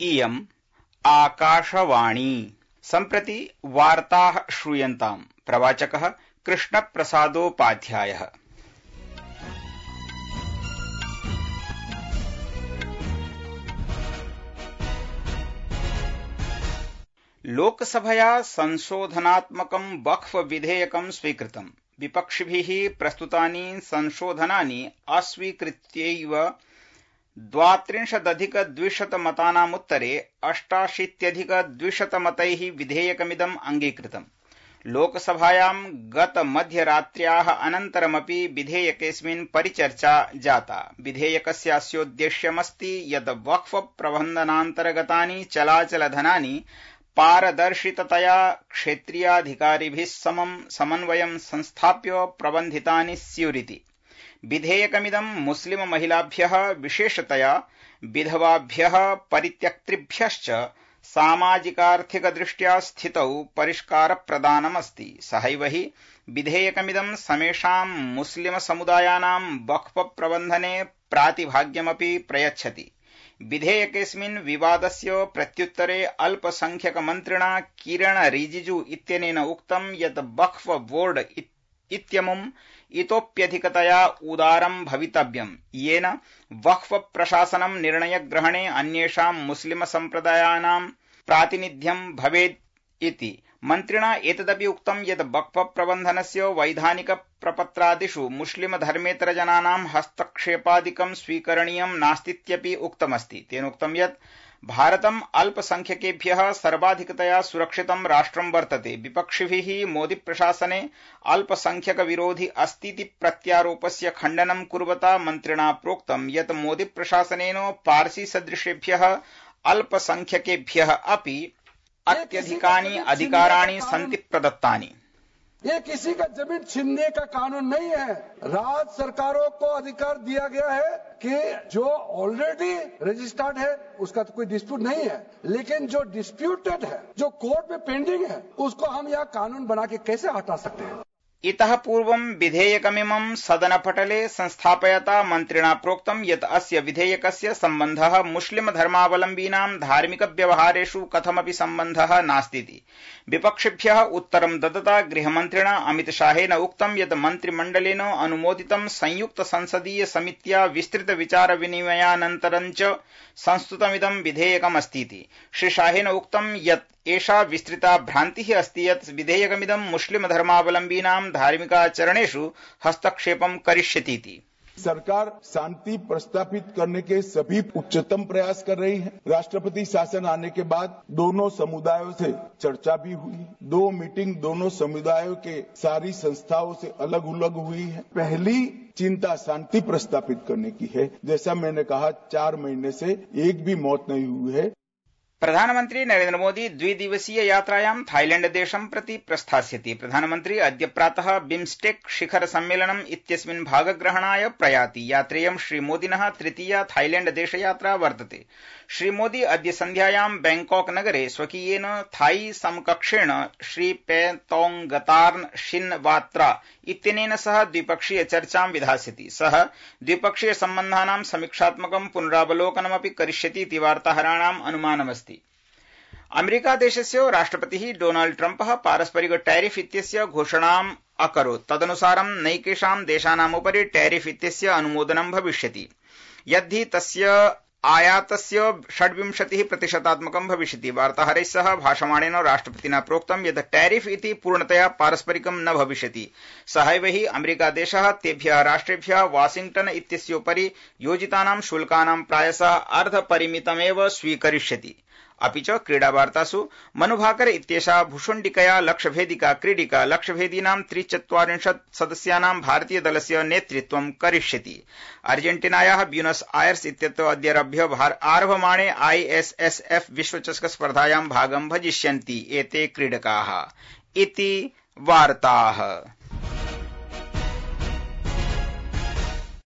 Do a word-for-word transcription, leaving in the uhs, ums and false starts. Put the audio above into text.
इयम् आकाशवाणी। सम्प्रति वार्ताः श्रूयन्ताम्। प्रवाचकः कृष्णप्रसादोपाध्यायः। लोकसभया संशोधनात्मकं वक्फ विधेयकं स्वीकृतम्। विपक्षिभिः प्रस्तुतानि संशोधनानि अस्वीकृत्यैव द्वात्रिंशदधिकद्विशतमतानामुत्तरे अष्टाशीत्यधिकद्विशतमतैः विधेयकमिदम् अङ्गीकृतम्। लोकसभायां गतमध्यरात्र्याः अनन्तरमपि विधेयकेऽस्मिन् परिचर्चा जाता। विधेयकस्यास्योद्देश्यमस्ति यत् वक्फ प्रबन्धनान्तर्गतानि चलाचलधनानि पारदर्शिततया क्षेत्रीयाधिकारिभिः समं समन्वयं संस्थाप्य प्रबन्धितानि स्युरिति। विधेयकमिदं मुस्लिम महिलाभ्यः विशेषतया विधवाभ्यः परित्यक्तृभ्यश्च सामाजिकार्थिकदृष्ट्या स्थितौ परिष्कारप्रदानमस्ति। सहैव हि विधेयकमिदं समेषां मुस्लिम समुदायानां वक्फ प्रबन्धने प्रातिभाग्यमपि प्रयच्छति। विधेयकेऽस्मिन् विवादस्य प्रत्युत्तरे अल्पसंख्यकमन्त्रिणा किरण रिजिजू इत्यनेन उक्तं यत् वक्फ बोर्ड इत्यमुम् इतोप्यधिकतया उदारं भवितव्यम्, येन वक्फ प्रशासनं निर्णयग्रहणे अन्येषां मुस्लिम सम्प्रदायानां प्रातिनिध्यं भवेत् इति। मन्त्रिणा एतदपि उक्तं यत् वक्फ प्रबन्धनस्य वैधानिक प्रपत्रादिषु मुस्लिम धर्मेतरजनानां हस्तक्षेपादिकं स्वीकरणीयं नास्तीत्यपि उक्तमस्ति। तेनोक्तं यत् भारतम् अल्पसंख्यकेभ्यः सर्वाधिकतया सुरक्षितं राष्ट्रं वर्तते। विपक्षिभिः मोदी प्रशासने अल्पसंख्यक विरोधी अस्तीति प्रत्यारोपस्य खण्डनं कुर्वता मन्त्रिणा प्रोक्तं यत् मोदी प्रशासनेन पार्सी सदृशेभ्यः अल्पसंख्यकेभ्यः अपि अत्यधिकानि अधिकाराणि सन्ति प्रदत्तानि। ये किसी का जमीन छीनने का कानून नहीं है। राज्य सरकारों को अधिकार दिया गया है कि जो ऑलरेडी रजिस्टर्ड है उसका तो कोई डिस्प्यूट नहीं है, लेकिन जो डिस्प्यूटेड है, जो कोर्ट में पेंडिंग है, उसको हम यह कानून बना के कैसे हटा सकते हैं। इतः पूर्वं विधेयकमिमं सदनपटले संस्थापयता मन्त्रिणा प्रोक्तं यत् अस्य विधेयकस्य सम्बन्धः मुस्लिम धर्मावलम्बीनां धार्मिक व्यवहारेषु कथमपि सम्बन्धः नास्तीति। विपक्षिभ्यः उत्तरं ददता गृहमन्त्रिणा अमितशाहेन उक्तं यत् मन्त्रिमण्डलेन अनुमोदितं संयुक्त संसदीय समित्या विस्तृत विचार विनिमयानन्तरं च संस्तुतमिदं विधेयकमस्तीति। श्री शाहेन उक्तं यत् एषा विस्तृता भ्रान्तिः अस्ति यत् विधेयकमिदं मुस्लिम धर्मावलम्बीनां धार्मिकाचरणेषु हस्तक्षेपं करिष्यतीति। सरकार शांति प्रस्तापित करने के सभी उच्चतम प्रयास कर रही है। राष्ट्रपति शासन आने के बाद दोनों समुदायों से चर्चा भी हुई। दो मीटिंग दोनों समुदायों के सारी संस्थाओं से अलग अलग हुई है। पहली चिंता शांति प्रस्तापित करने की है। जैसा मैंने कहा, चार महीने से एक भी मौत नहीं हुई है। प्रधानमन्त्री नरेन्द्र मोदी द्विदिवसीय यात्रायां थाईलैंड देशं प्रति प्रस्थास्यति। प्रधानमन्त्री अद्य प्रातः बिम्स्टेक शिखर सम्मेलनम् इत्यस्मिन् भागग्रहणाय प्रयाति। यात्रेयं श्रीमोदिनः तृतीया थाईलैंड देशयात्रा वर्तते। श्रीमोदी अद्य सन्ध्यायां बैंकॉक नगरे स्वकीयेन थाई समकक्षेण श्री पेतोंगतार्न शिनवात्रा इत्यनेन सह द्विपक्षीय चर्चां विधास्यति। सः द्विपक्षीय सम्बन्धानां समीक्षात्मकं पुनरावलोकनमपि करिष्यति इति वार्ताहराणाम् अनुमानमस्ति। अमेरिका देशस्य राष्ट्रपतिः डोनाल्ड ट्रम्पः पारस्परिक टैरिफ इत्यस्य घोषणाम् अकरोत्। तदनुसारं नैकेषां देशानामुपरि टैरिफ इत्यस्य अनुमोदनं भविष्यति। यद्धि तस्य आयातस्य षड्विंशतिः प्रतिशतात्मकं भविष्यति। वार्ताहरैः सह भाषमाणेन राष्ट्रपतिना प्रोक्तं यत् टैरिफ इति पूर्णतया पारस्परिकं न भविष्यति। सहैव हि अमेरिकादेशः तेभ्यः राष्ट्रेभ्यः वाशिंग्टन इत्यस्योपरि योजितानां शुल्कानां प्रायशः अर्धपरिमितमेव स्वीकरिष्यति। अपि च क्रीडावार्तासु मनुभाकर इत्येषा भुषुण्डिकया लक्ष्यभेदिका क्रीडिका लक्ष्यभेदीनां त्रिचत्वारिंशत् सदस्यानां भारतीय दलस्य नेतृत्वं करिष्यति। अर्जेन्टीनायाः ब्यूनस आयर्स इत्यत्र अद्यारभ्य आरभमाणे आईएसएसएफ विश्वचषक स्पर्धायां भागं भजिष्यन्ति एते क्रीडकाः। इति वार्ताः।